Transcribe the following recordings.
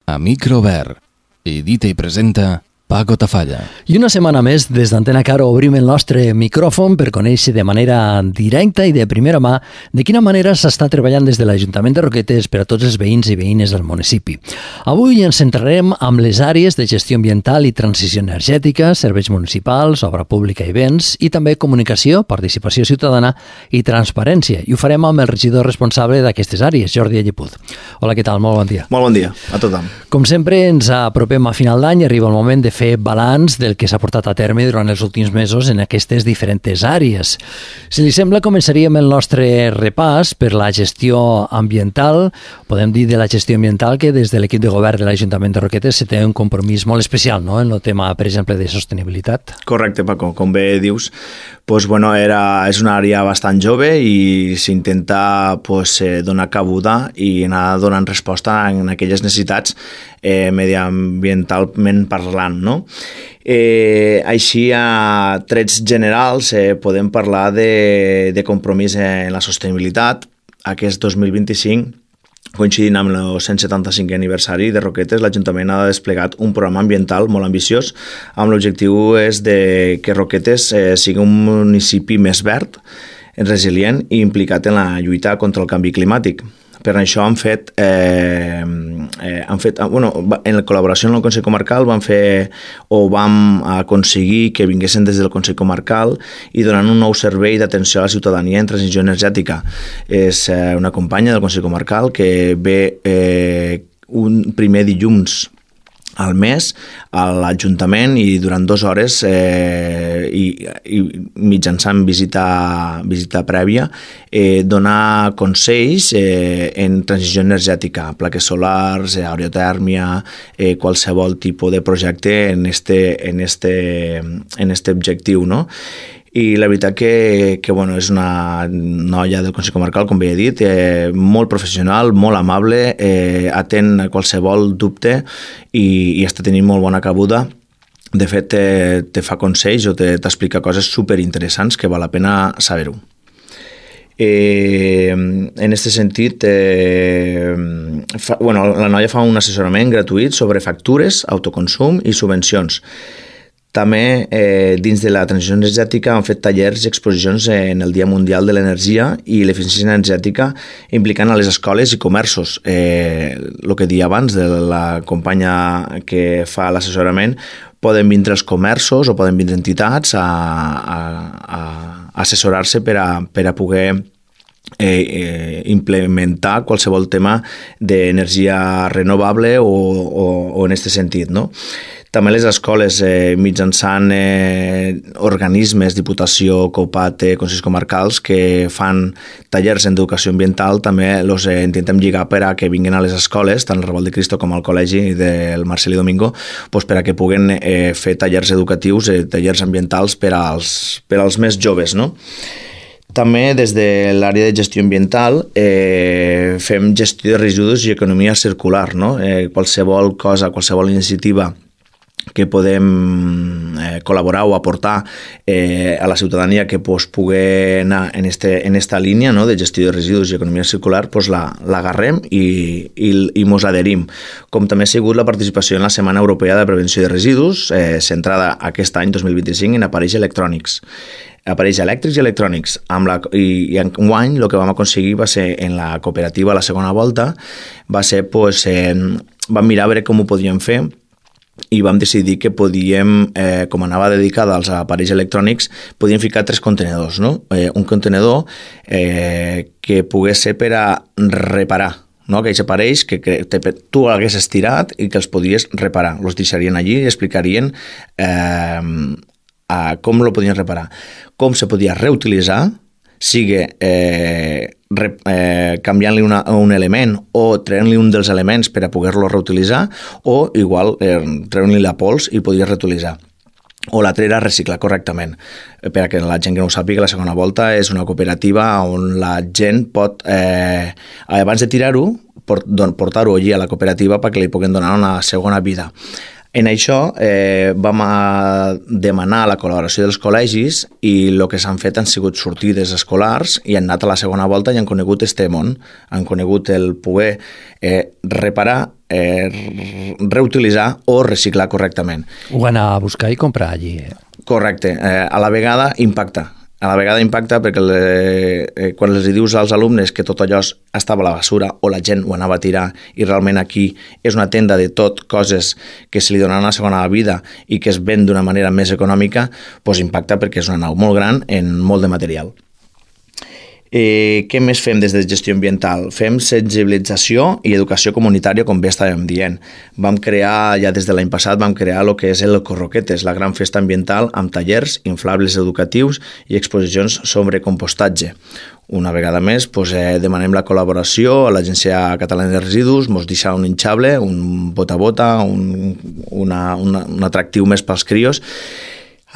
A micro obert. Edita i presenta Paco Tafalla. I una setmana més, des d'Antena Caro, obrim el nostre micròfon per conèixer de manera directa i de primera mà de quina manera s'està treballant des de l'Ajuntament de Roquetes per a tots els veïns i veïnes del municipi. Avui ens centrarem amb les àrees de gestió ambiental i transició energètica, serveis municipals, obra pública i béns, i també comunicació, participació ciutadana i transparència. I ho farem amb el regidor responsable d'aquestes àrees, Jordi Allepuz. Hola, què tal? Molt bon dia. Molt bon dia a tothom. Com sempre, ens apropem a final d'any i arriba el moment de fer balanç del que s'ha portat a terme durant els últims mesos en aquestes diferents àrees. Si li sembla, començaríem el nostre repàs per la gestió ambiental. Podem dir de la gestió ambiental que des de l'equip de govern de l'Ajuntament de Roquetes se té un compromís molt especial, no?, en el tema, per exemple, de sostenibilitat. Correcte, Paco. Com bé dius, és una àrea bastant jove i s'intenta donar cabuda i anar donant resposta en aquelles necessitats mediambientalment parlant, no? Així, a trets generals, podem parlar de compromís en la sostenibilitat. Aquest 2025, coincidint amb el 175è aniversari de Roquetes, l'Ajuntament ha desplegat un programa ambiental molt ambiciós amb l'objectiu és de que Roquetes sigui un municipi més verd, resilient i implicat en la lluita contra el canvi climàtic. Per això en la col·laboració amb el Consell Comarcal vam aconseguir que vinguessin des del Consell Comarcal i donant un nou servei d'atenció a la ciutadania en transició energètica. És una companya del Consell Comarcal que ve un primer dilluns al mes a l'Ajuntament i durant 2 hores i mitjançant visita prèvia donar consells en transició energètica, plaques solars, aerotèrmia, qualsevol tipus de projecte en este objectiu, no? I la veritat que és una noia del Consell Comarcal, com bé he dit, molt professional, molt amable, atén a qualsevol dubte i està tenint molt bona cabuda. De fet, te fa consells o t'explica coses superinteressants que val la pena saber-ho. En aquest sentit, la noia fa un assessorament gratuït sobre factures, autoconsum i subvencions. També, dins de la transició energètica, han fet tallers i exposicions en el Dia Mundial de l'Energia i l'Eficiència Energètica implicant a les escoles i comerços. El que deia abans de la companya que fa l'assessorament, poden vindre els comerços o poden vindre entitats a assessorar-se per a poder implementar qualsevol tema d'energia renovable o en aquest sentit, no? També les escoles, mitjançant organismes, Diputació, COPAT, Consells Comarcals, que fan tallers d'educació ambiental, també els intentem lligar per a que vinguin a les escoles, tant el Revolt de Cristo com al Col·legi del Marcelí Domingo, per a que puguen fer tallers educatius, tallers ambientals per als més joves, no? També des de l'àrea de gestió ambiental fem gestió de residus i economia circular, no? Qualsevol cosa, qualsevol iniciativa que podem col·laborar o aportar a la ciutadania que pugui anar en esta línia, no, de gestió de residus i economia circular, l'agarrem i mos adherim. Com també ha sigut la participació en la Setmana Europea de Prevenció de Residus, centrada aquest any 2025 en aparells electrònics. Aparells elèctrics i electrònics. I enguany el que vam aconseguir va ser en la cooperativa a la segona volta, vam mirar a veure com ho podíem fer i vam decidir que podíem, com anava dedicada als aparells electrònics, podíem ficar 3 contenedors, no? Un contenedor que pogués ser per a reparar, no? Aquells aparells que tu hagués estirat i que els podies reparar. Els deixarien allí i explicarien com lo podien reparar. Com se podia reutilitzar, sigui canviant-li un element o treure-li un dels elements per a poder-lo reutilitzar o igual treure-li la pols i poder reutilitzar. O l'altre era reciclar correctament. Per a que la gent que no ho sàpiga, la segona volta és una cooperativa on la gent pot, abans de tirar-ho, portar-ho allí a la cooperativa perquè li puguen donar una segona vida. En això vam demanar la col·laboració dels col·legis i el que s'han fet han sigut sortides escolars i han anat a la segona volta i han conegut este món, han conegut el poder reparar reutilitzar o reciclar correctament. Ho van a buscar i comprar allí. Correcte. A la vegada impacta. A la vegada impacta perquè quan els dius als alumnes que tot allò estava a la basura o la gent ho anava a tirar i realment aquí és una tenda de tot, coses que se li donen una segona vida i que es ven d'una manera més econòmica, doncs impacta perquè és una nau molt gran en molt de material. Què més fem des de gestió ambiental? Fem sensibilització i educació comunitària, com bé estàvem dient. Vam crear, ja des de l'any passat, el que és el Corroquetes, la gran festa ambiental amb tallers, inflables educatius i exposicions sobre compostatge. Una vegada més, demanem la col·laboració a l'Agència Catalana de Residus, ens deixa un hinchable, un bota-bota, un atractiu més pels crios,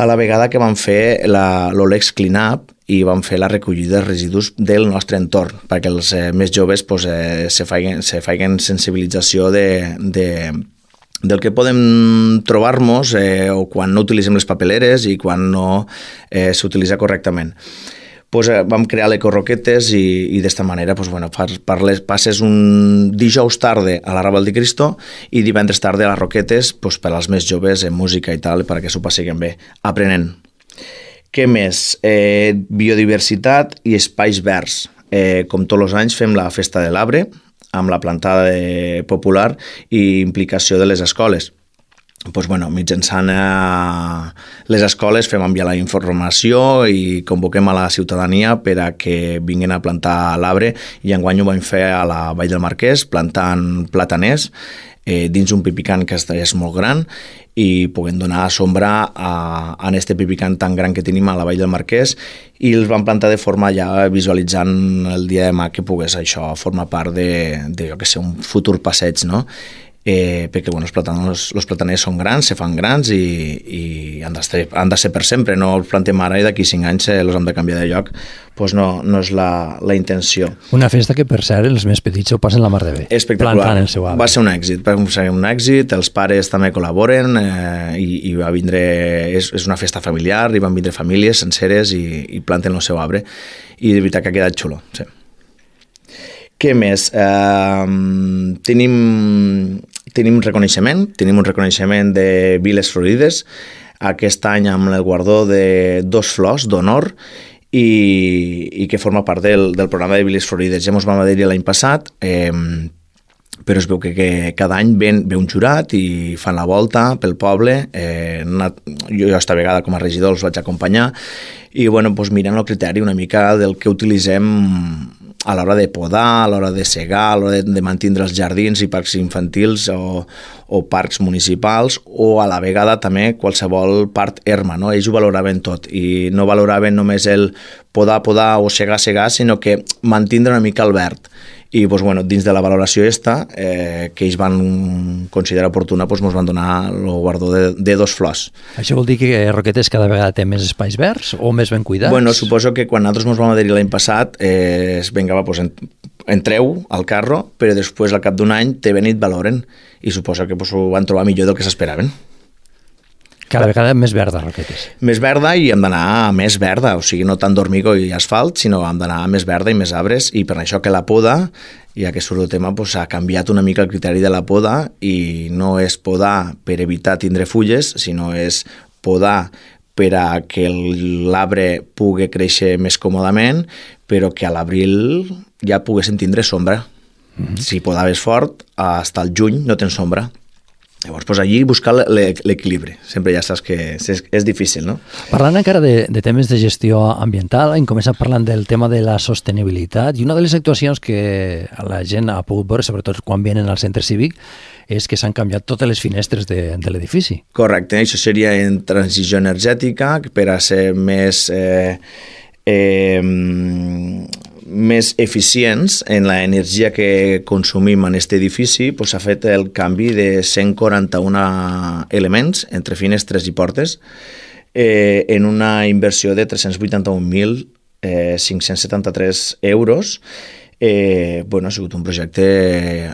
a la vegada que vam fer l'Olex Cleanup i vam fer la recollida de residus del nostre entorn, perquè els més joves se facin sensibilització del que podem trobar-nos o quan no utilitzem les papeleres i quan no s'utilitza correctament. Vam crear l'Ecorroquetes i d'esta manera passes un dijous tarde a la Raval de Cristo i divendres tarde a les Roquetes per als més joves en música i tal, perquè s'ho passiguen bé, aprenent. Què més? Biodiversitat i espais verds. Com tots els anys fem la Festa de l'Arbre amb la plantada popular i implicació de les escoles. Mitjançant les escoles fem enviar la informació i convoquem a la ciutadania per a que vinguin a plantar l'arbre i enguany ho vam fer a la Vall del Marquès plantant plataners dins un pipicant que és molt gran i puguem donar sombra a aquest pipicant tan gran que tenim a la Vall del Marquès i els vam plantar de forma ja visualitzant el dia de demà que pogués això formar part de un futur passeig, no? Perquè els plataners són grans, se fan grans i han de ser per sempre, no els plantem ara i d'aquí 5 anys els hem de canviar de lloc, doncs no és la intenció. Una festa que per cert els més petits ho passen la mar de bé. Espectacular, plantant el seu arbre. Va ser un èxit, els pares també col·laboren i va vindre, és una festa familiar i van vindre famílies senceres i planten el seu arbre i de veritat que ha quedat xulo, sí. Què més? Tenim un reconeixement de Viles Florides, aquest any amb el guardó de 2 flors d'honor i que forma part del programa de Viles Florides. Ja ens vam dir l'any passat, però es veu que cada any ve un jurat i fan la volta pel poble. Jo esta vegada com a regidor els vaig acompanyar i mirant el criteri una mica del que utilitzem a l'hora de podar, a l'hora de segar, a l'hora de mantenir els jardins i parcs infantils o parcs municipals o a la vegada també qualsevol part erma, no? Ells ho valoraven tot i no valoraven només el podar o segar, sinó que mantenir una mica el verd. I dins de la valoració que ells van considerar oportuna ens van donar el guardó de 2 flors. Això vol dir que Roquetes cada vegada té més espais verds o més ben cuidats? Suposo que quan nosaltres ens vam adherir l'any passat entreu al carro, però després al cap d'un any te ven i et valoren i suposo que ho van trobar millor del que s'esperaven. Cada vegada més verda, Roquetes. Més verda i hem d'anar a més verda, o sigui, no tant d'hormigó i asfalt, sinó hem d'anar a més verda i més arbres, i per això que la poda, ja que surt el tema, ha canviat una mica el criteri de la poda, i no és podar per evitar tindre fulles, sinó és podar per a que l'arbre pugui créixer més còmodament, però que a l'abril ja poguessin tindre sombra. Si podaves fort, fins al juny no tens sombra. Llavors, allí buscar l'equilibri. Sempre ja saps que és difícil, no? Parlant encara de temes de gestió ambiental, hem començat parlant del tema de la sostenibilitat i una de les actuacions que la gent ha pogut veure, sobretot quan vienen al centre cívic, és que s'han canviat totes les finestres de l'edifici. Correcte, això seria en transició energètica per a ser més eficients en l'energia que consumim en aquest edifici, s'ha fet el canvi de 141 elements entre finestres i portes en una inversió de 381.573 euros. Ha sigut un projecte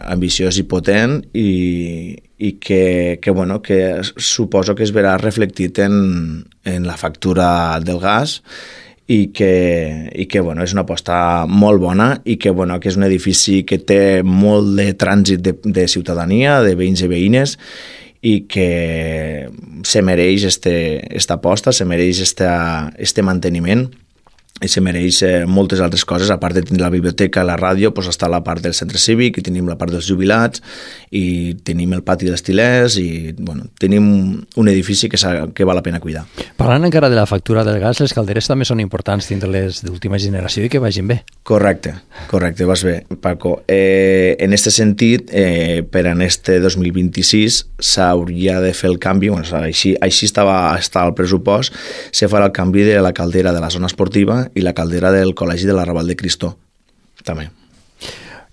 ambiciós i potent i que suposo que es verà reflectit en la factura del gas i que bueno, és una aposta molt bona i que és un edifici que té molt de trànsit de ciutadania, de veïns i veïnes, i que se mereix esta aposta, se mereix este manteniment i se mereix moltes altres coses. A part de tenir la biblioteca, la ràdio, està la part del centre cívic i tenim la part dels jubilats i tenim el pati dels tilers i tenim un edifici que val la pena cuidar. Parlant encara de la factura del gas, les calderes també són importants dintre les d'última generació i que vagin bé. Correcte, vas bé, Paco. En aquest sentit, per en este 2026 s'hauria de fer el canvi, així estava el pressupost, se farà el canvi de la caldera de la zona esportiva i la caldera del Col·legi de l'Arrabal de Cristó, també.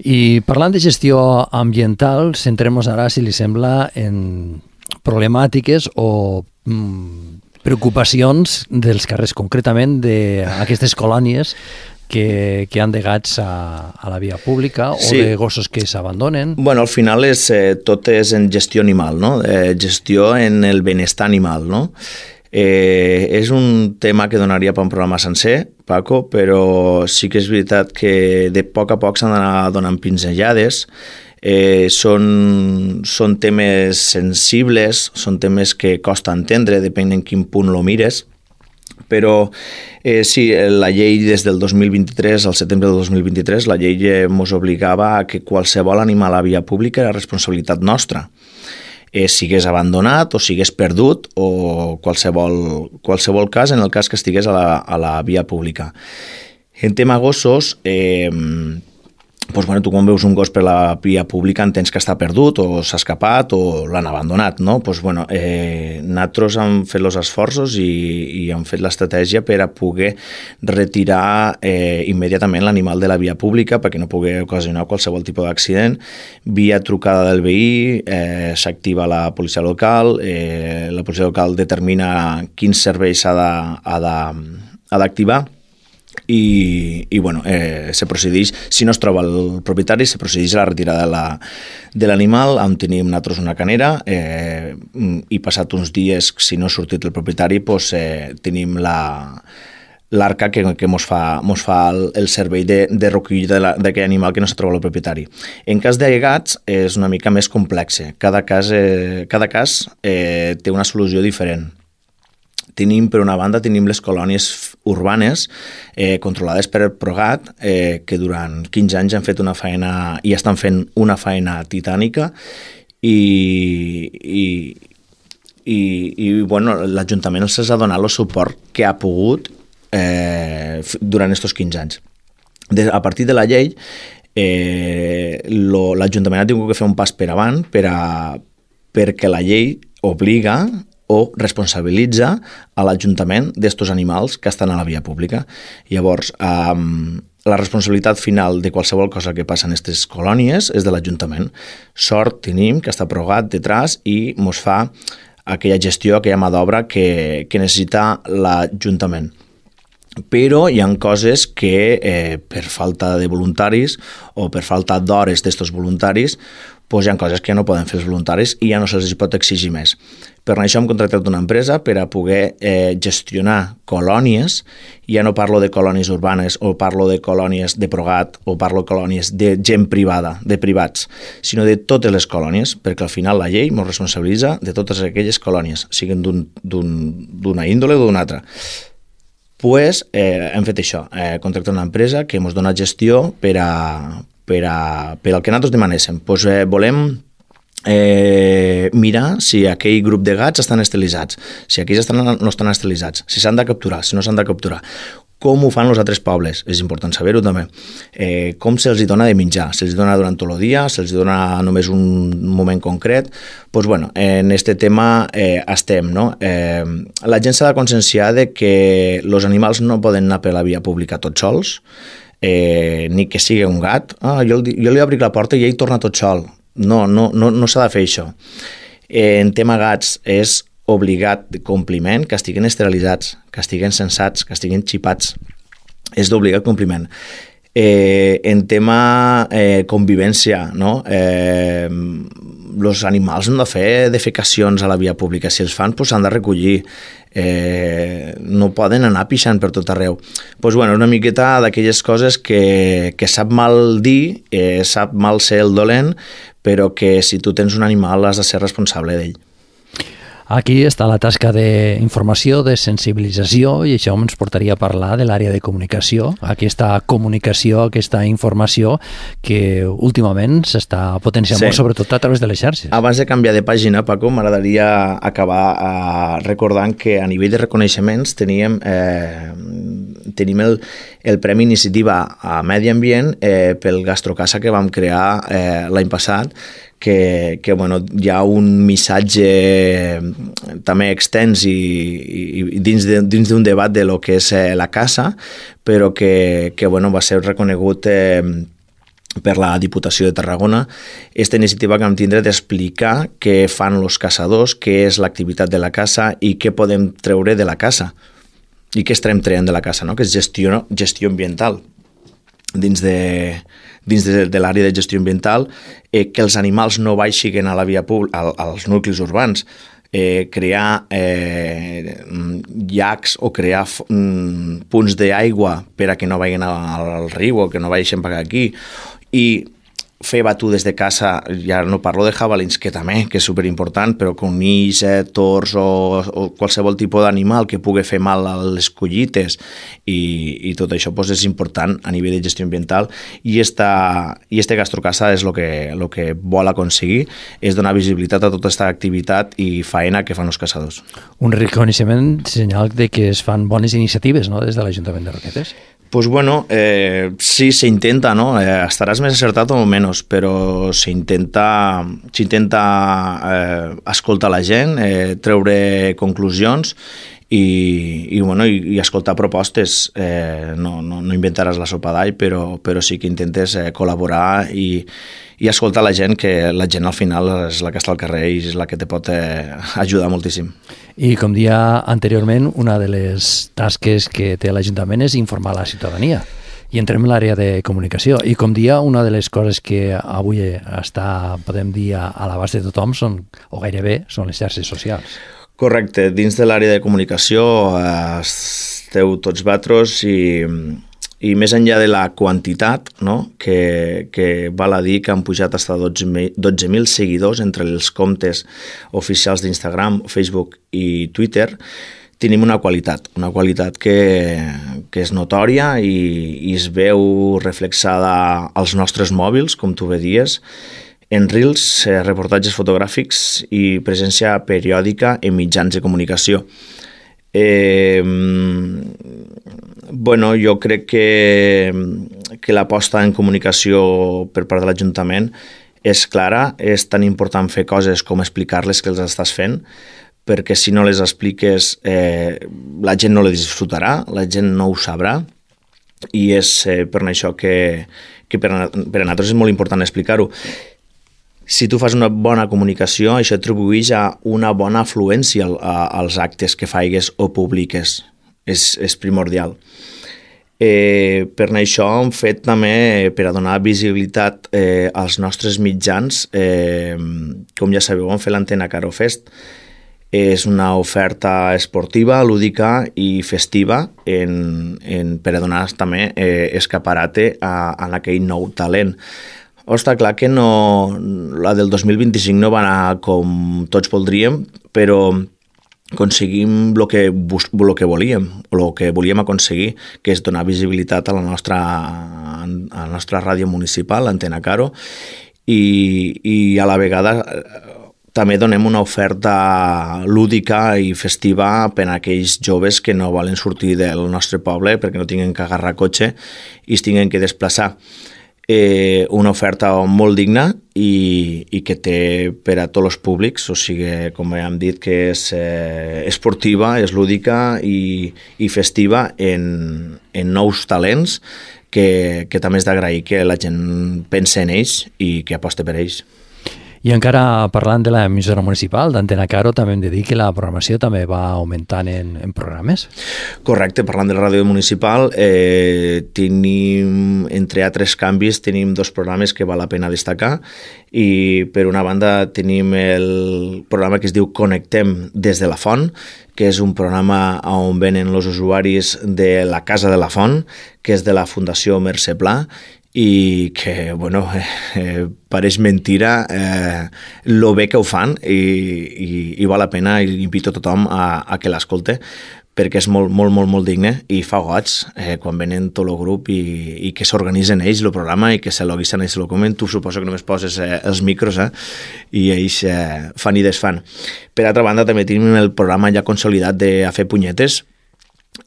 I parlant de gestió ambiental, centrem-nos ara, si li sembla, en problemàtiques o preocupacions dels carrers, concretament d'aquestes colònies que han de gats a la via pública o de gossos que s'abandonen. Al final tot és en gestió animal, no? Gestió en el benestar animal, no? És un tema que donaria per un programa sencer, Paco, però sí que és veritat que de poc a poc s'han d'anar donant pinzellades. Són temes sensibles, són temes que costa entendre, depèn en quin punt lo mires, però sí, la llei des del 2023, al setembre del 2023, la llei ens obligava a que qualsevol animal a via pública era responsabilitat nostra. Sigués abandonat o sigués perdut o qualsevol cas, en el cas que estigués a la via pública. En tema gossos, tu quan veus un gos per la via pública entens que està perdut o s'ha escapat o l'han abandonat, no? Nosaltres hem fet els esforços i hem fet l'estratègia per a poder retirar immediatament l'animal de la via pública perquè no pugui ocasionar qualsevol tipus d'accident. Via trucada del veí, s'activa la policia local, la policia local determina quins serveis ha d'activar i se procedeix, si no es troba el propietari, se procedeix a la retirada de l'animal, on tenim nosaltres una canera i passat uns dies, si no ha sortit el propietari, tenim l'arca que ens fa el servei de recollida d'aquell animal que no s'ha trobat el propietari. En cas de gats és una mica més complex. Cada cas té una solució diferent. Per una banda, tenim les colònies urbanes controlades per el Progat, que durant 15 anys han fet una feina i estan fent una feina titànica i l'Ajuntament els ha donat el suport que ha pogut durant aquests 15 anys. A partir de la llei, l'Ajuntament ha tingut que fer un pas per avant perquè la llei obliga o responsabilitza a l'Ajuntament d'estos animals que estan a la via pública. Llavors, la responsabilitat final de qualsevol cosa que passa en aquestes colònies és de l'Ajuntament. Sort tenim que està Progat detrás i ens fa aquella gestió, aquella mà d'obra que necessita l'Ajuntament. Però hi ha coses que per falta de voluntaris o per falta d'hores d'estos voluntaris hi ha coses que ja no poden fer els voluntaris i ja no se'ls pot exigir més. Per això hem contractat una empresa per a poder gestionar colònies. Ja no parlo de colònies urbanes o parlo de colònies de Progat o parlo de colònies de gent privada, de privats, sinó de totes les colònies, perquè al final la llei ens responsabilitza de totes aquelles colònies, siguin d'una índole o d'una altra. Hem fet això, contractat una empresa que ens dona gestió per al que nosaltres demanéssim. Volem mirar si aquell grup de gats estan esterilitzats, si aquells no estan esterilitzats, si s'han de capturar, si no s'han de capturar. Com ho fan els altres pobles? És important saber-ho també. Com se'ls dona de menjar? Se'ls dona durant tot el dia? Se'ls dona només un moment concret? En aquest tema estem, no? La gent s'ha de conscienciar que els animals no poden anar per la via pública tots sols, ni que sigui un gat. Jo li obri la porta i ell torna tot sol. No s'ha de fer això. En tema gats és obligat de compliment que estiguin esterilitzats, que estiguin censats, que estiguin xipats. És d'obligat compliment. En tema convivència, no? Els animals han de fer defecacions a la via pública. Si els fan, s'han de recollir. No poden anar pixant per tot arreu. Bueno, una miqueta d'aquelles coses que sap mal dir, sap mal ser el dolent, però que si tu tens un animal has de ser responsable d'ell. Aquí està la tasca d'informació, de sensibilització, i això ens portaria a parlar de l'àrea de comunicació. Aquesta comunicació, aquesta informació que últimament s'està potenciant molt, sobretot a través de les xarxes. Abans de canviar de pàgina, Paco, m'agradaria acabar recordant que a nivell de reconeixements tenim el Premi Iniciativa a Medi Ambient pel Gastrocasa que vam crear l'any passat, que hi ha un missatge també extens i dins d'un debat de lo que és la caça, però que va ser reconegut per la Diputació de Tarragona. Aquesta iniciativa que vam tindre d'explicar què fan els caçadors, què és l'activitat de la caça i què podem treure de la caça i què estarem traient de la caça, no? Que és gestió ambiental. Dins de l'àrea de gestió ambiental, que els animals no baixin a la via pública, als nuclis urbans, crear llacs o crear punts d'aigua per a que no vagin al riu o que no vagin per aquí, i fer batudes de caça, ja no parlo de jabalins, que també, que és superimportant, però conills, tors o qualsevol tipus d'animal que pugui fer mal a les collites, i tot això és important a nivell de gestió ambiental, i este Gastrocasa és el que vol aconseguir, és donar visibilitat a tota aquesta activitat i faena que fan els caçadors. Un reconeixement senyal de que es fan bones iniciatives, no?, des de l'Ajuntament de Roquetes. Sí, s'intenta, no? Estaràs més acertat o menys, però s'intenta escoltar la gent, treure conclusions i escoltar propostes. No inventaràs la sopa d'all, però sí que intentes col·laborar i escoltar la gent, que la gent al final és la que està al carrer i és la que te pot ajudar moltíssim. I com dia anteriorment, una de les tasques que té l'Ajuntament és informar la ciutadania. I entrem en l'àrea de comunicació. I com dia, una de les coses que avui està, podem dir, a l'abast de tothom o gairebé, són les xarxes socials. Correcte. Dins de l'àrea de comunicació esteu tots vosaltres i més enllà de la quantitat, no? que val a dir que han pujat fins a 12.000 seguidors entre els comptes oficials d'Instagram, Facebook i Twitter, tenim una qualitat que és notòria i es veu reflexada als nostres mòbils, com tu bé dies, en reels, reportatges fotogràfics i presència periòdica en mitjans de comunicació. Jo crec que l'aposta en comunicació per part de l'Ajuntament és clara. És tan important fer coses com explicar-les que els estàs fent, perquè si no les expliques la gent no les disfrutarà, la gent no ho sabrà, i és per això que per a nosaltres és molt important explicar-ho. Si tu fas una bona comunicació, això atribueix a una bona afluència als actes que faigues o publiques. És primordial. Per això hem fet també, per a donar visibilitat als nostres mitjans, com ja sabeu, hem fet l'Antena Caro Fest. És una oferta esportiva, lúdica i festiva per a donar també escaparate a aquell nou talent. Està clar que la del 2025 no va anar com tots voldríem, però aconseguim el que volíem, o el que volíem aconseguir, que és donar visibilitat a la nostra ràdio municipal, l'Antena Caro, i a la vegada també donem una oferta lúdica i festiva per a aquells joves que no volen sortir del nostre poble perquè no tinguin que agarrar cotxe i es tinguin que desplaçar. Una oferta molt digna i que té per a tots els públics, o sigui, com ja hem dit, que és esportiva, és lúdica i festiva en nous talents que també és d'agrair que la gent pense en ells i que aposte per ells. I encara parlant de l'emissora municipal d'Antena Caro, també hem de dir que la programació també va augmentant en programes. Correcte, parlant de la ràdio municipal, tenim, entre altres canvis, tenim 2 programes que val la pena destacar i per una banda tenim el programa que es diu Connectem des de la Font, que és un programa on venen els usuaris de la Casa de la Font, que és de la Fundació Mercè Pla, i que, bueno, pareix mentira lo bé que ho fan i val la pena i invito a tothom a que l'escolte perquè és molt digne i fa goig quan venen tot el grup i que s'organitzen ells el programa i que se l'oguisen ells el comen. Tu suposo que només poses els micros i ells fan i desfan. Per altra banda també tenim el programa ja consolidat de A fer punyetes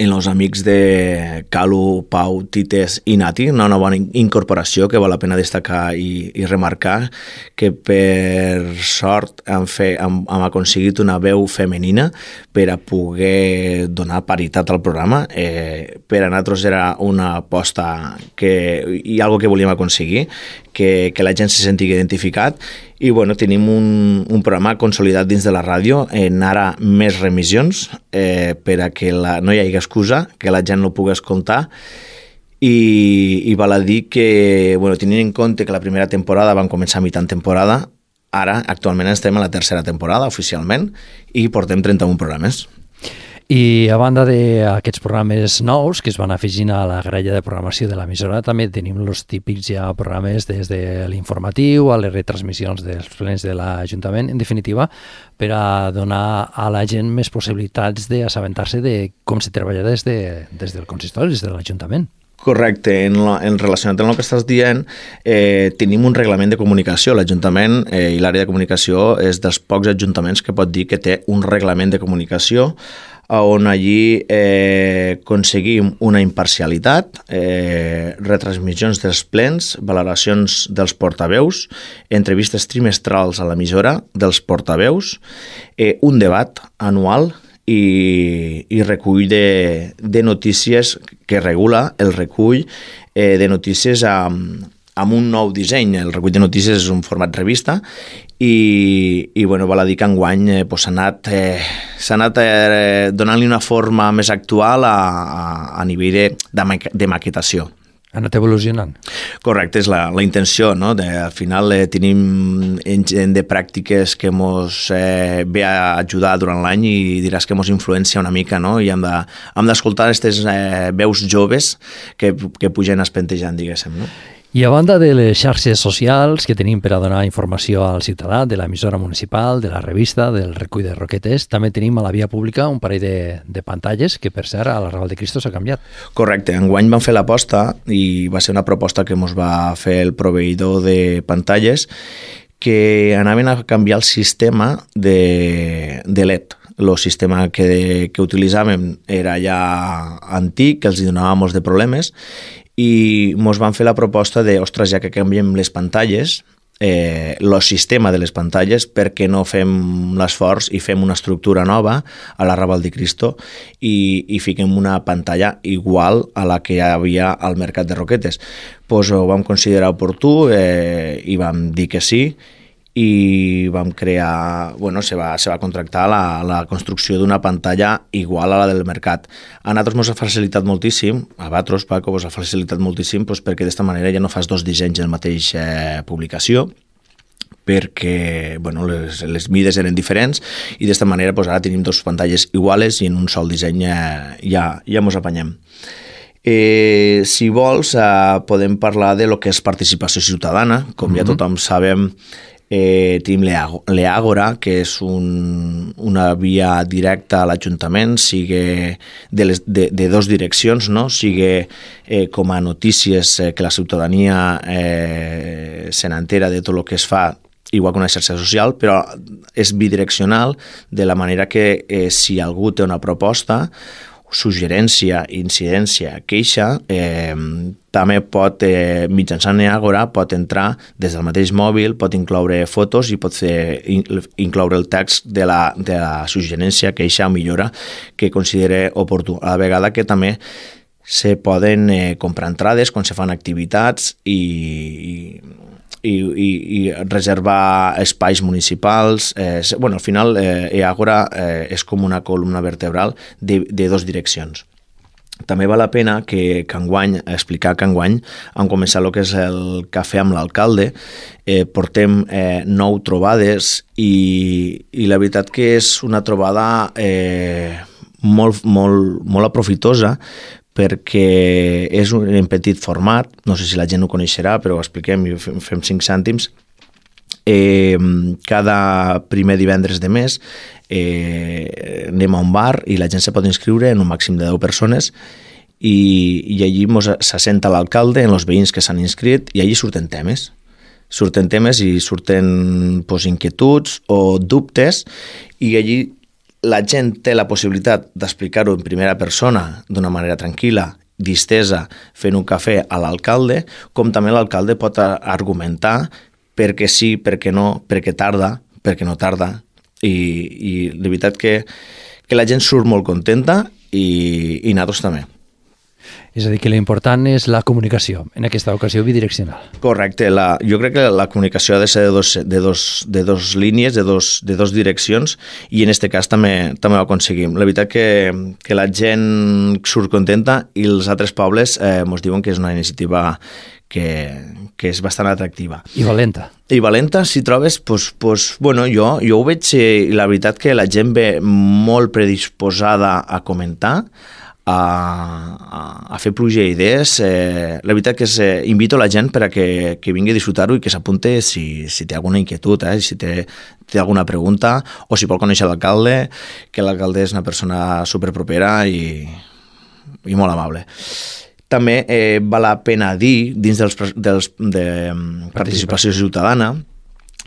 en els amics de Calu, Pau, Tites i Nati, una nova incorporació que val la pena destacar i remarcar, que per sort hem aconseguit una veu femenina per a poder donar paritat al programa. Per a nosaltres era una aposta i algo que volíem aconseguir, que la gent se senti identificat. I bueno, tenim un programa consolidat dins de la ràdio en ara més remissions per a que no hi hagi excusa, que la gent no pugui escoltar i val a dir que, bueno, tenint en compte que la primera temporada van començar a mitjan temporada, ara actualment estem a la tercera temporada oficialment i portem 31 programes. I a banda d'aquests programes nous que es van afegint a la grella de programació de l'emissora, també tenim els típics ja programes des de l'informatiu a les retransmissions dels plens de l'Ajuntament, en definitiva, per a donar a la gent més possibilitats d'assabentar-se de com se treballa des del consistori, des de l'Ajuntament. Correcte, en relacionat amb el que estàs dient, tenim un reglament de comunicació. L'Ajuntament i l'àrea de comunicació és dels pocs ajuntaments que pot dir que té un reglament de comunicació on allí aconseguim una imparcialitat, retransmissions dels plens, valoracions dels portaveus, entrevistes trimestrals a l'emissora dels portaveus, un debat anual i recull de notícies que regula el recull de notícies amb un nou disseny. El recull de notícies és un format revista i bueno, val a dir que enguany s'ha anat donant-li una forma més actual a nivell de maquetació. Ha anat evolucionant. Correcte, és la intenció, no? Al final tenim gent de pràctiques que ens ve a ajudar durant l'any i diràs que ens influencia una mica, no? I hem d'escoltar aquestes veus joves que pugen espentejant, diguéssim, no? I a banda de les xarxes socials que tenim per a donar informació al ciutadà, de l'emissora municipal, de la revista, del recull de roquetes, també tenim a la via pública un parell de pantalles que, per cert, a la Raval de Cristo s'ha canviat. Correcte. Enguany vam fer l'aposta i va ser una proposta que ens va fer el proveïdor de pantalles que anaven a canviar el sistema de LED. El sistema que utilitzàvem era ja antic, que els donava molts de problemes i ens van fer la proposta de, ostres, ja que canviem les pantalles, el sistema de les pantalles, perquè no fem l'esforç i fem una estructura nova a la Raval de Cristo i fiquem una pantalla igual a la que hi havia al mercat de roquetes. Pues ho vam considerar oportú i vam dir que sí i vam crear, bueno, se va contractar la construcció d'una pantalla igual a la del mercat. A nosaltres ens ha facilitat moltíssim, a vosaltres, Paco, us ha facilitat moltíssim perquè d'esta manera ja no fas dos dissenys en la mateixa publicació, perquè bueno, les mides eren diferents i d'esta manera ara tenim dos pantalles iguales i en un sol disseny ja ens apanyem. Si vols, podem parlar de lo que és participació ciutadana. Com ja tothom sabem, tenim l'Àgora, que és una via directa a l'Ajuntament, sigui de dos direccions, no? Sigui com a notícies que la ciutadania se n'entera de tot el que es fa, igual que una xarxa social, però és bidireccional, de la manera que si algú té una proposta, suggerència, incidència, queixa, també pot, mitjançant Àgora, pot entrar des del mateix mòbil, pot incloure fotos i pot incloure el text de la suggerència, queixa o millora que considere oportú. A la vegada que també se poden comprar entrades quan se fan activitats i i reservar espais municipals. Al final, Eàgora és com una columna vertebral de dos direccions. També val la pena explicar que enguany han començat el que és el cafè amb l'alcalde. Portem 9 trobades i la veritat que és una trobada molt aprofitosa, perquè és en petit format, no sé si la gent ho coneixerà, però ho expliquem i fem 5 cèntims. Cada primer divendres de mes anem a un bar i la gent se pot inscriure en un màxim de 10 persones i allí s'assenta l'alcalde en els veïns que s'han inscrit i allí surten temes i surten inquietuds o dubtes i allí la gent té la possibilitat d'explicar-ho en primera persona d'una manera tranquil·la, distesa, fent un cafè a l'alcalde, com també l'alcalde pot argumentar per què sí, per què no, per què tarda, per què no tarda. I la veritat que la gent surt molt contenta i nosaltres també. És a dir, que l'important és la comunicació, en aquesta ocasió bidireccional. Correcte. Jo crec que la comunicació ha de ser de dos línies, de dos direccions, i en aquest cas també ho aconseguim. La veritat que la gent surt contenta i els altres pobles ens diuen que és una iniciativa que és bastant atractiva. I valenta. I valenta, si trobes, jo ho veig i la veritat que la gent ve molt predisposada a comentar, a fer pluja d'idees. La veritat que invito la gent per a que vingui a disfrutar-ho i que s'apunte si té alguna inquietud, si té alguna pregunta o si vol conèixer l'alcalde, que l'alcalde és una persona superpropera i molt amable. També val la pena dir, dins de participació ciutadana,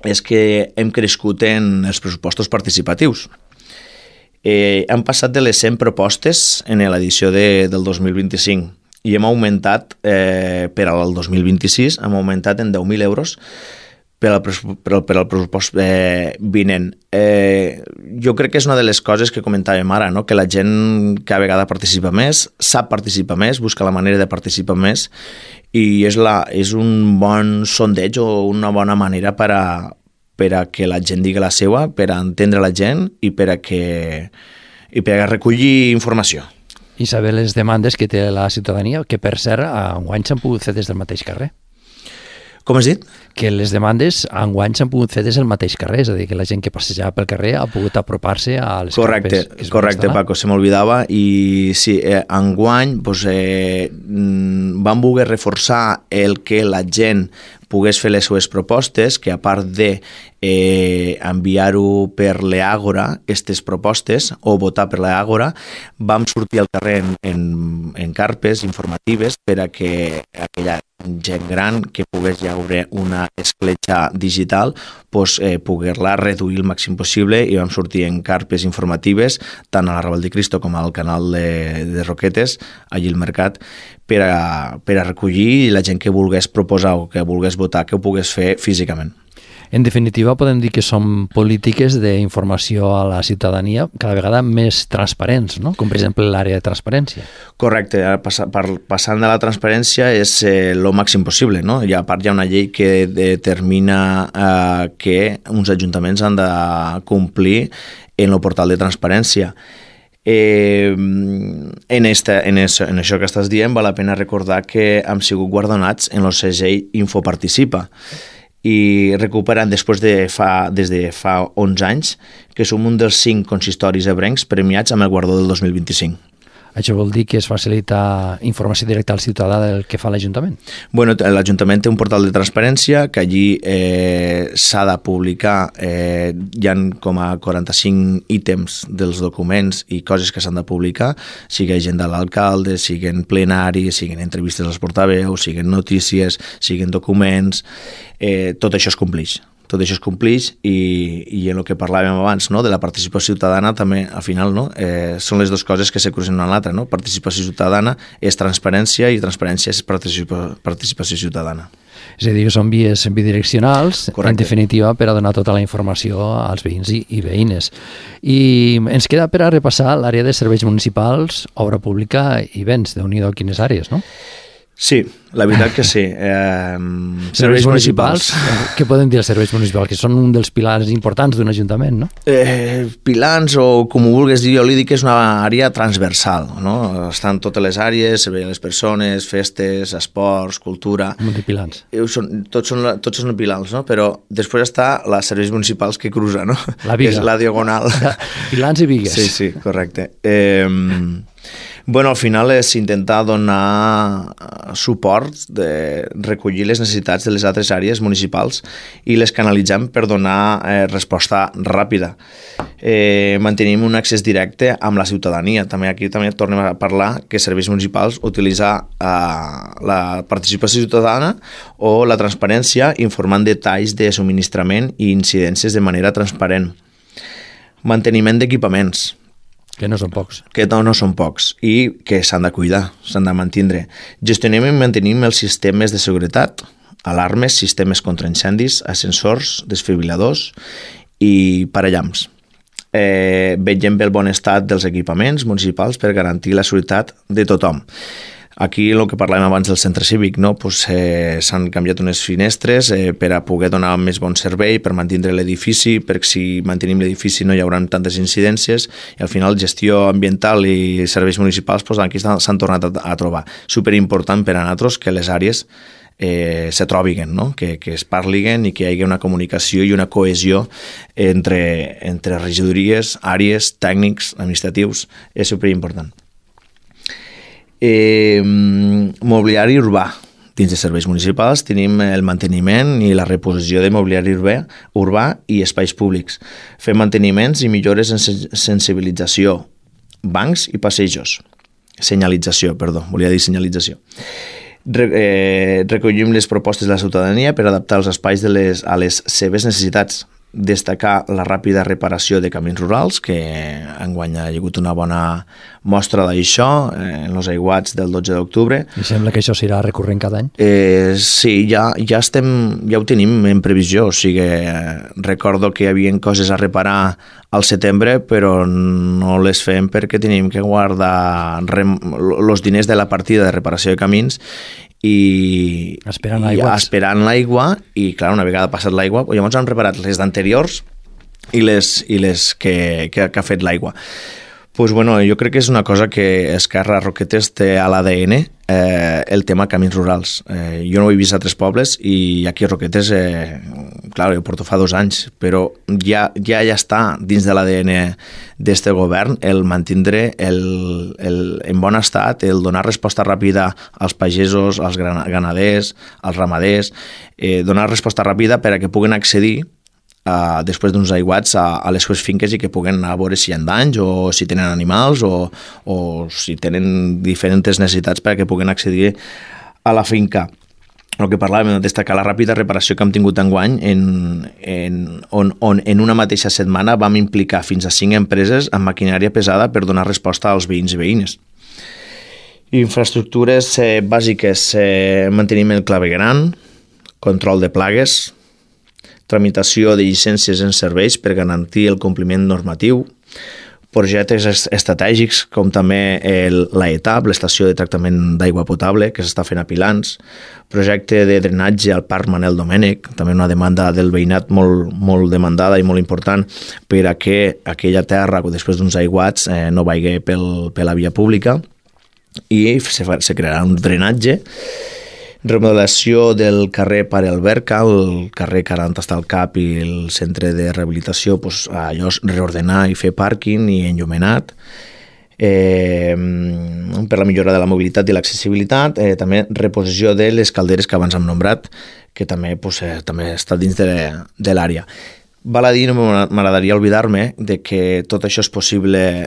és que hem crescut en els pressupostos participatius. Han passat de les 100 propostes en l'edició del 2025 i hem augmentat per al 2026, hem augmentat en 10.000 euros per al pressupost vinent. Jo crec que és una de les coses que comentàvem ara, no? Que la gent cada vegada participa més, sap participar més, busca la manera de participar més i és un bon sondeig o una bona manera per a que la gent digui la seva, per a entendre la gent i per a recollir informació. I saber les demandes que té la ciutadania, que per cert, enguany s'han pogut fer des del mateix carrer. Com has dit? Que les demandes enguany s'han pogut fer des del mateix carrer, és a dir, que la gent que passejava pel carrer ha pogut apropar-se a les carpes. Correcte, Paco, se m'oblidava. I sí, enguany van voler reforçar el que la gent pogués fer les seves propostes, que a part de enviar-ho per l'Eàgora, aquestes propostes, o votar per l'Eàgora, vam sortir al carrer en carpes informatives per a que aquella gent gran que pogués llaure una escletxa digital poder-la reduir el màxim possible i vam sortir en carpes informatives tant a la Raval de Cristo com al canal de Roquetes, allí al mercat, per a recollir la gent que volgués proposar o que volgués votar, que ho pogués fer físicament. En definitiva, podem dir que són polítiques d'informació a la ciutadania cada vegada més transparents, no? Com per exemple l'àrea de transparència. Correcte, passant de la transparència és el màxim possible, no? I a part hi ha una llei que determina que uns ajuntaments han de complir en el portal de transparència. En això que estàs dient val la pena recordar que hem sigut guardonats en el segell Infoparticipa i recuperen des de fa 11 anys que som un dels 5 consistoris ebrencs premiats amb el guardó del 2025. Això vol dir que es facilita informació directa al ciutadà del que fa l'Ajuntament? Bueno, l'Ajuntament té un portal de transparència que allí s'ha de publicar, hi ha com a 45 ítems dels documents i coses que s'han de publicar, sigui agenda de l'alcalde, siguin plenaris, siguin entrevistes als portaveus, siguin notícies, siguin documents, tot això es compleix. Tot això es compleix i en el que parlàvem abans, no, de la participació ciutadana també, al final, no, són les dues coses que se crucen una a l'altra, no? Participació ciutadana és transparència i transparència és participació ciutadana. És a dir, que són vies bidireccionals, correcte, en definitiva, per a donar tota la informació als veïns i veïnes. I ens queda per a repassar l'àrea de serveis municipals, obra pública i béns. Déu-n'hi-do, quines àrees, no? Sí, la veritat que sí. Serveis municipals? Què poden dir els serveis municipals? Que són un dels pilars importants d'un ajuntament, no? Pilars, o com ho vulguis dir, jo li dic que és una àrea transversal, no? Estan totes les àrees, servei a les persones, festes, esports, cultura... Un de pilars. Tots són pilars, no? Però després està els serveis municipals que cruza, no? La viga. És la diagonal. Pilars i vigues. Sí, correcte. Bueno, al final és intentar donar suport, de recollir les necessitats de les altres àrees municipals i les canalitzem per donar resposta ràpida. Mantenim un accés directe amb la ciutadania. Aquí també tornem a parlar que serveis municipals utilitza la participació ciutadana o la transparència informant detalls de subministrament i incidències de manera transparent. Manteniment d'equipaments. Que no són pocs. Que no són pocs i que s'han de cuidar, s'han de mantenir. Gestionem i mantenim els sistemes de seguretat, alarmes, sistemes contra incendis, ascensors, desfibriladors i parellams. Vetllem pel bon estat dels equipaments municipals per garantir la seguretat de tothom. Aquí, el que parlàvem abans del centre cívic, no? Pues, s'han canviat unes finestres per a poder donar més bon servei, per mantenir l'edifici, perquè si mantenim l'edifici no hi haurà tantes incidències, i al final gestió ambiental i serveis municipals pues, aquí s'han tornat a trobar. Superimportant per a nosaltres que les àrees se trobin, no? Que es parlin i que hi hagi una comunicació i una cohesió entre regidories, àrees, tècnics, administratius. És superimportant. Mobiliari urbà. Dins de serveis municipals tenim el manteniment i la reposició de mobiliari urbà i espais públics. Fem manteniments i millores en sensibilització, bancs i passejos. Senyalització, volia dir senyalització. Recollim les propostes de la ciutadania per adaptar els espais a les seves necessitats. Destacar la ràpida reparació de camins rurals, que enguany ha hagut una bona mostra d'això en els aiguats del 12 d'octubre. I sembla que això serà recurrent cada any? Sí, ja ho tenim en previsió, o sigui, recordo que hi havia coses a reparar al setembre, però no les fem perquè tenim que guardar els diners de la partida de reparació de camins i esperant l'aigua i clar, una vegada passat l'aigua llavors han preparat les d'anteriors i les que ha fet l'aigua. Pues bueno, jo crec que és una cosa que Esquerra Roquetes té a l'ADN, el tema camins rurals. Jo no ho he vist a altres pobles i aquí a Roquetes, clar, ho porto fa 2 anys, però ja està dins de l'ADN d'este govern el mantindre en bon estat, el donar resposta ràpida als pagesos, als ganaders, als ramaders, donar resposta ràpida per a que puguen accedir després d'uns aiguats a les seves finques i que puguen anar a veure si hi ha danys o si tenen animals o si tenen diferents necessitats perquè puguen accedir a la finca. El que parlàvem, destacar la ràpida reparació que hem tingut enguany on en una mateixa setmana vam implicar fins a 5 empreses amb maquinària pesada per donar resposta als veïns i veïnes. Infraestructures bàsiques, manteniment clavegueram, control de plagues, tramitació de llicències en serveis per garantir el compliment normatiu, projectes estratègics com també l'ETAP, l'estació de tractament d'aigua potable que s'està fent a Pilans, projecte de drenatge al Parc Manel Domènech, també una demanda del veïnat molt demandada i molt important per a que aquella terra després d'uns aiguats no vagi per la via pública i se crearà un drenatge. Remodelació del carrer Pare Alberca, el carrer 40 està al CAP i el centre de rehabilitació, allò reordenar i fer pàrquing i enllumenat. Per la millora de la mobilitat i l'accessibilitat, també reposició de les calderes que abans hem nombrat, que també està dins de l'àrea. Val a dir, no m'agradaria oblidar-me de que tot això és possible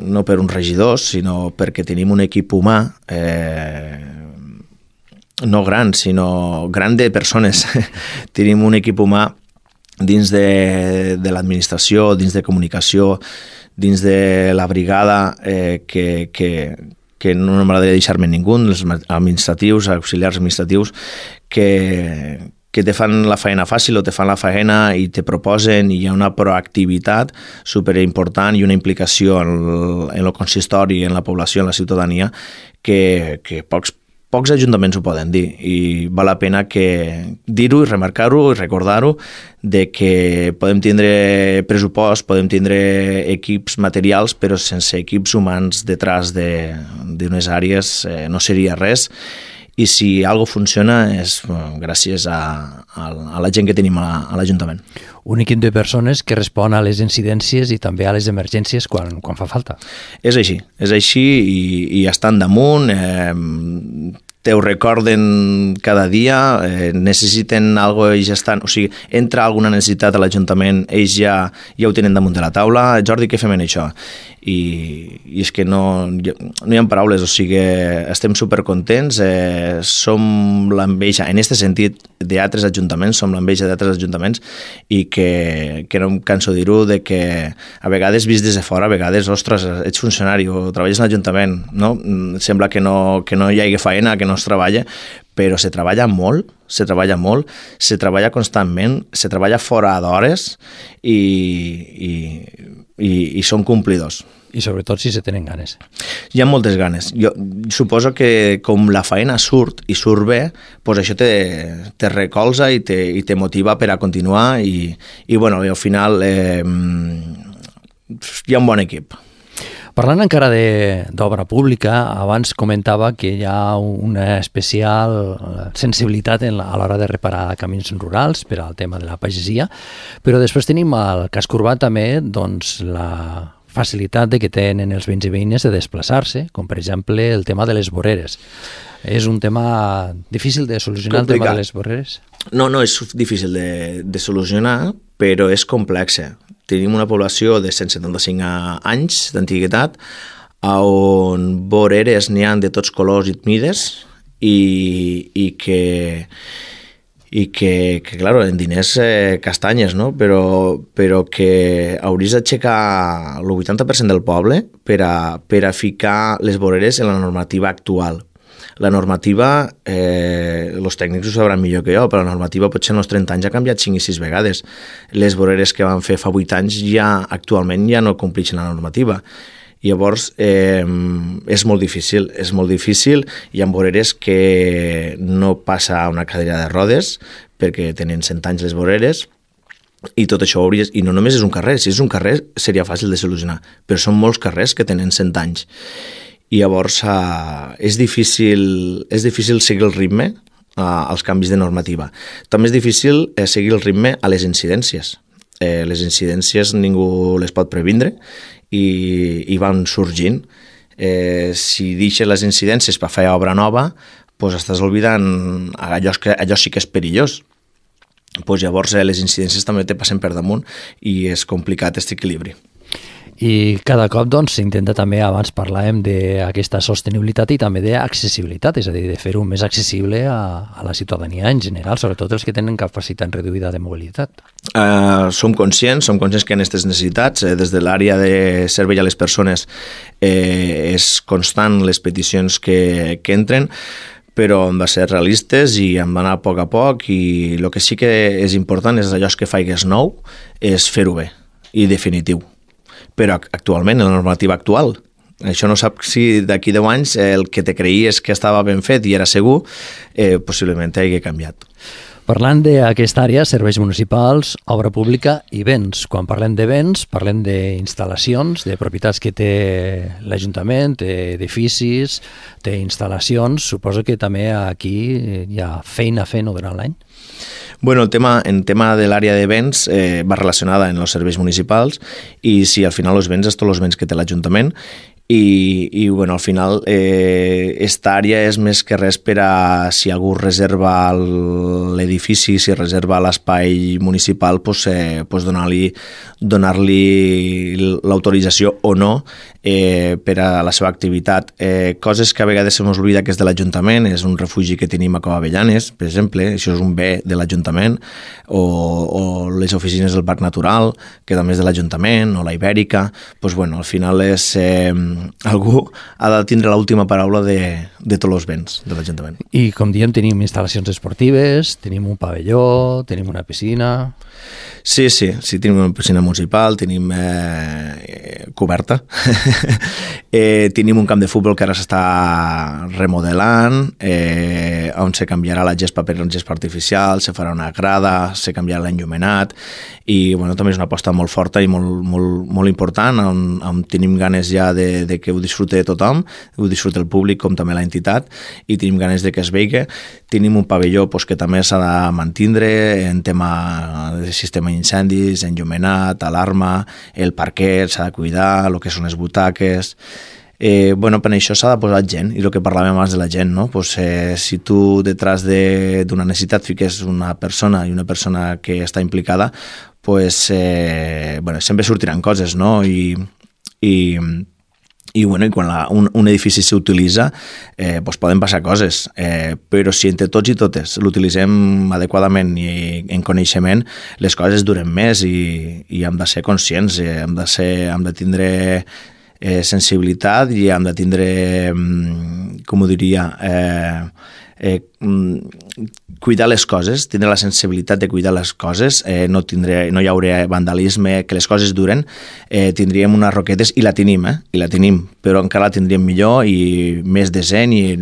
no per uns regidors, sinó perquè tenim un equip humà no gran, sinó gran de persones. Tenim un equip humà dins de l'administració, dins de comunicació, dins de la brigada, que no m'agradaria deixar-me ningú, els administratius, auxiliars administratius, que te fan la feina fàcil o te fan la feina i te proposen i hi ha una proactivitat superimportant i una implicació en el consistori, en la població, en la ciutadania, que pocs pocs ajuntaments ho poden dir i val la pena que dir-ho i remarcar-ho i recordar-ho de que podem tindre pressupost, podem tindre equips materials, però sense equips humans detrás d'unes àrees no seria res. I si algo funciona és gràcies a la gent que tenim a l'Ajuntament. Un equip de persones que respon a les incidències i també a les emergències quan fa falta. És així i estan damunt, te ho recorden cada dia, necessiten alguna cosa i ja estan... O sigui, entra alguna necessitat a l'Ajuntament, ells ja ho tenen damunt de la taula. Jordi, què fem en això? I és que no hi ha paraules, o sigui, estem supercontents, som l'enveja, en aquest sentit, d'altres ajuntaments, som l'enveja d'altres ajuntaments i que no em canso de dir-ho, de que a vegades vist des de fora, a vegades, ostres, ets funcionari o treballes a l'Ajuntament, no? Sembla que no hi hagi faena, que no es treballa, però se treballa molt, se treballa constantment, se treballa fora d'hores i són complidors. I sobretot si se tenen ganes. Hi ha moltes ganes. Jo suposo que com la feina surt i surt bé, doncs això te recolza i te motiva per a continuar i bueno, al final hi ha un bon equip. Parlant encara d'obra pública, abans comentava que hi ha una especial sensibilitat a l'hora de reparar camins rurals per al tema de la pagesia, però després tenim al casc urbà també doncs, la facilitat de que tenen els veïns i veïnes de desplaçar-se, com per exemple el tema de les voreres. És un tema difícil de solucionar, complicat. El tema de les voreres? No és difícil de solucionar, però és complexa. Tenim una població de 175 anys d'antiguitat on voreres n'hi ha de tots colors i mides i que claro, en diners castanyes, no? Però que hauries d'aixecar el 80% del poble per a ficar les voreres en la normativa actual. La normativa, els tècnics ho sabran millor que jo, però la normativa potser en els 30 anys ha canviat 5 i 6 vegades. Les voreres que van fer fa 8 anys actualment ja no compleixen la normativa. Llavors, és molt difícil. Hi ha voreres que no passa una cadira de rodes perquè tenen 100 anys les voreres i tot això i no només és un carrer. Si és un carrer seria fàcil de solucionar, però són molts carrers que tenen 100 anys. I llavors és difícil seguir el ritme als canvis de normativa. També és difícil seguir el ritme a les incidències. Les incidències ningú les pot previndre i van sorgint. Si deixes les incidències per fer obra nova, doncs estàs oblidant allò sí que és perillós. Doncs llavors les incidències també te passen per damunt i és complicat aquest equilibri. I cada cop s'intenta també, abans parlàvem d'aquesta sostenibilitat i també d'accessibilitat, és a dir, de fer-ho més accessible a la ciutadania en general, sobretot els que tenen capacitat reduïda de mobilitat. Som conscients que hi ha aquestes necessitats. Des de l'àrea de servei a les persones és constant les peticions que entren, però hem de ser realistes i hem d'anar a poc i el que sí que és important és allò que faigues nou, és fer-ho bé i definitiu. Però actualment, en la normativa actual, això no sap si d'aquí 10 anys el que te creies que estava ben fet i era segur, possiblement hagi canviat. Parlant d'aquesta àrea, serveis municipals, obra pública i béns. Quan parlem de béns, parlem d'instal·lacions, de propietats que té l'Ajuntament, té edificis, té instal·lacions. Suposo que també aquí hi ha feina a fer durant l'any. Bueno, el tema de l'àrea de béns va relacionada en els serveis municipals i si al final els béns és tots els béns que té l'Ajuntament i bueno, al final esta àrea és més que res per a si algú reserva l'edifici, si reserva l'espai municipal, donar-li l'autorització o no per a la seva activitat. Coses que a vegades se m'oblida que és de l'Ajuntament, és un refugi que tenim a Cova Avellanes, per exemple, això és un bé de l'Ajuntament, o les oficines del Parc Natural, que també és de l'Ajuntament, o la Ibèrica, doncs bueno, al final algú ha de tindre l'última paraula de tots els béns de l'Ajuntament. I, com diem, tenim instal·lacions esportives, tenim un pavelló, tenim una piscina... Sí, tenim una piscina municipal, tenim coberta, tenim un camp de futbol que ara s'està remodelant, on se canviarà la gespa per la gespa artificial, se farà una grada, se canviarà l'enllumenat, i bueno, també és una aposta molt forta i molt important, on tenim ganes ja de que ho disfrute tothom, ho disfrute el públic com també l'entitat, i tenim ganes de que es vegi. Tenim un pavelló que també s'ha de mantindre en tema de sistema d'incendis, enllumenat, alarma, el parquet s'ha de cuidar, el que són les butaques... per això s'ha de posar gent, i el que parlàvem abans de la gent, no? Si tu detrás d'una necessitat fiques una persona i una persona que està implicada, sempre sortiran coses, no? I quan un edifici s'utilitza poden passar coses, però si entre tots i totes l'utilitzem adequadament i en coneixement, les coses duren més i hem de ser conscients, hem de tindre sensibilitat i hem de tindre, com ho diria, cuidar les coses, tindre la sensibilitat de cuidar les coses, no hi haurà vandalisme, que les coses duren, tindríem unes roquetes, i la tenim, però encara la tindríem millor i més decent i,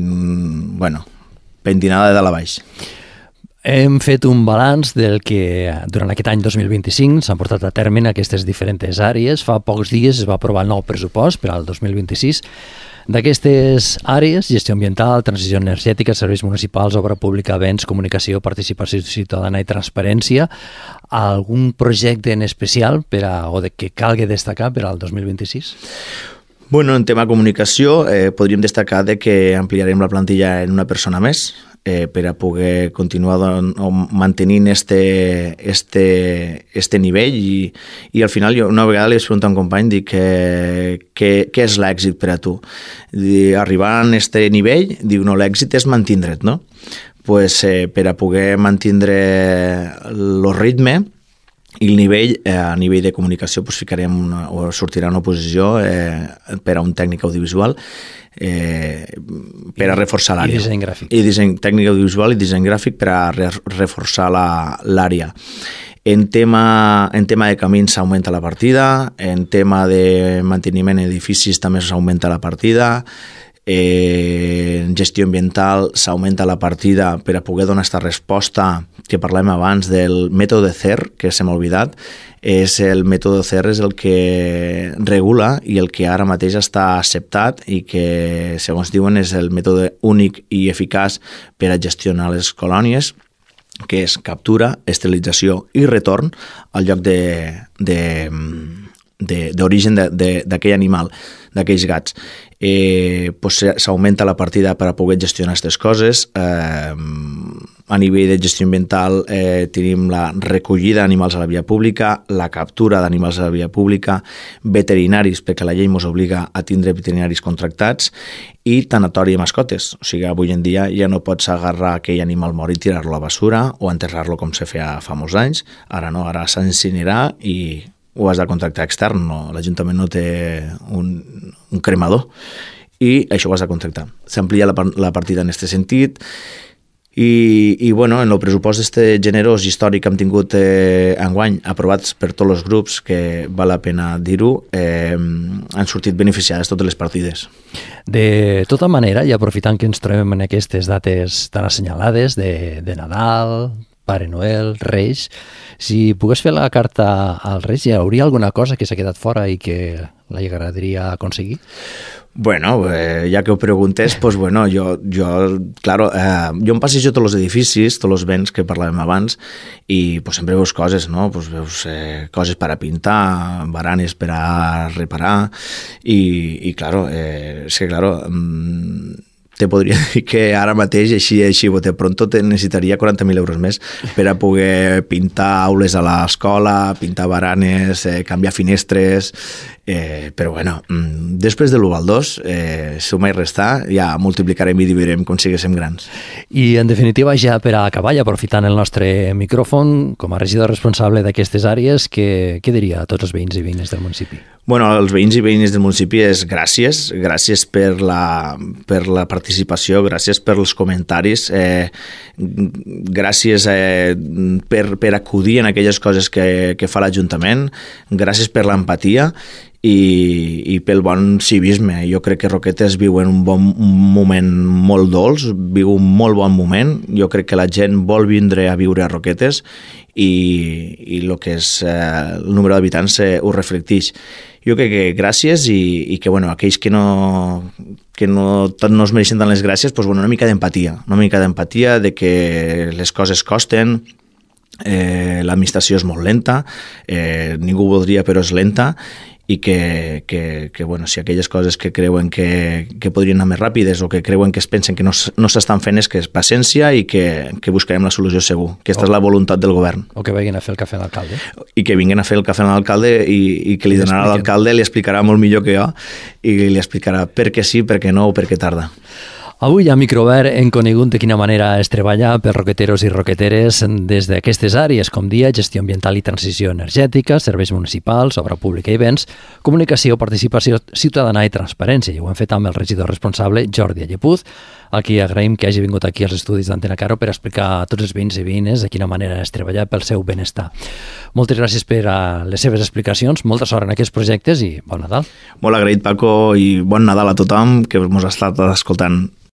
pentinada de dalt a baix. Hem fet un balanç del que durant aquest any 2025 s'han portat a terme en aquestes diferents àrees. Fa pocs dies es va aprovar el nou pressupost per al 2026. D'aquestes àrees, gestió ambiental, transició energètica, serveis municipals, obra pública, béns, comunicació, participació ciutadana i transparència, algun projecte en especial que calgui destacar per al 2026? En tema comunicació podríem destacar que ampliarem la plantilla en una persona més, per a poder continuar mantenint este nivell i al final jo una vegada li vaig preguntar a un company, dic, què és l'èxit per a tu? Arribar a este nivell, diu, no, l'èxit és mantindre't, no? Per a poder mantindre el ritme i el nivell, a nivell de comunicació sortirà una oposició per a un tècnic audiovisual per a reforçar l'àrea. I disseny gràfic. Tècnic audiovisual i disseny gràfic per a reforçar l'àrea. En tema de camins s'augmenta la partida, en tema de manteniment d'edificis també s'augmenta la partida, en gestió ambiental s'augmenta la partida per a poder donar aquesta resposta que parlem abans del mètode CER, que se m'ha oblidat. El mètode CER és el que regula i el que ara mateix està acceptat i que, segons diuen, és el mètode únic i eficaç per a gestionar les colònies, que és captura, esterilització i retorn al lloc d'origen d'aquell animal, d'aquells gats. S'augmenta la partida per a poder gestionar aquestes coses. A nivell de gestió ambiental tenim la recollida d'animals a la via pública, la captura d'animals a la via pública, veterinaris, perquè la llei ens obliga a tindre veterinaris contractats, i tanatori de mascotes. O sigui, avui en dia ja no pots agarrar aquell animal mort i tirar-lo a la basura o enterrar-lo com se feia fa molts anys. Ara no, ara s'incinerà i ho has de contractar extern, no? L'Ajuntament no té un cremador i això ho has de contractar. S'amplia la partida en aquest sentit i en el pressupost generós històric que hem tingut enguany, aprovats per tots els grups, que val la pena dir-ho, han sortit beneficiades totes les partides. De tota manera, i aprofitant que ens trobem en aquestes dates tan assenyalades de Nadal, Pare Noel, Reis, si pogués fer la carta als Reis, hi hauria alguna cosa que s'ha quedat fora i que li agradaria aconseguir? Ja que ho preguntes, jo em passejo tots els edificis, tots els béns que parlàvem abans, i sempre veus coses, no? Veus coses per a pintar, baranes per a reparar, i te podria dir que ara mateix, així bote pronto, te necessitaria 40.000 euros més per a poder pintar aules a l'escola, pintar baranes, canviar finestres, Però bueno, després de l'1 al 2, sumar i restar, ja multiplicarem i dividirem com siguéssim grans. I en definitiva, ja per a acabar, i aprofitant el nostre micròfon, com a regidor responsable d'aquestes àrees, què diria a tots els veïns i veïnes del municipi? Bueno, als veïns i veïnes del municipi és gràcies per la participació, gràcies per els comentaris, gràcies per acudir en aquelles coses que fa l'Ajuntament, gràcies per l'empatia i pel bon civisme. Jo crec que Roquetes viu en un moment molt dolç, viu un molt bon moment. Jo crec que la gent vol vindre a viure a Roquetes i el que és el número d'habitants ho reflecteix. Jo crec que gràcies i que bueno, aquells que no es mereixen tant les gràcies, doncs, bueno, una mica d'empatia de que les coses costen, l'administració és molt lenta, ningú ho voldria però és lenta, i que bueno, si aquelles coses que creuen que podrien anar més ràpides o que creuen que es pensen que no s'estan fent és que és paciència i que buscarem la solució segur. Aquesta és la voluntat del govern. O que vinguin a fer el cafè a l'alcalde. I que vinguin a fer el cafè a l'alcalde i que li donarà a l'alcalde, li explicarà molt millor que jo i li explicarà per què sí, per què no o per què tarda. Avui a Microobert hem conegut de quina manera es treballa per roqueteros i roqueteres des d'aquestes àrees, com dia gestió ambiental i transició energètica, serveis municipals, obra pública i béns, comunicació, participació ciutadana i transparència. I ho hem fet amb el regidor responsable, Jordi Allepuz, a qui agraïm que hagi vingut aquí als estudis d'Antena Caro per explicar a tots els veïns i veïnes de quina manera es treballa pel seu benestar. Moltes gràcies per les seves explicacions, molta sort en aquests projectes i bon Nadal. Molt agraït, Paco, i bon Nadal a tothom que ens ha estat escoltant.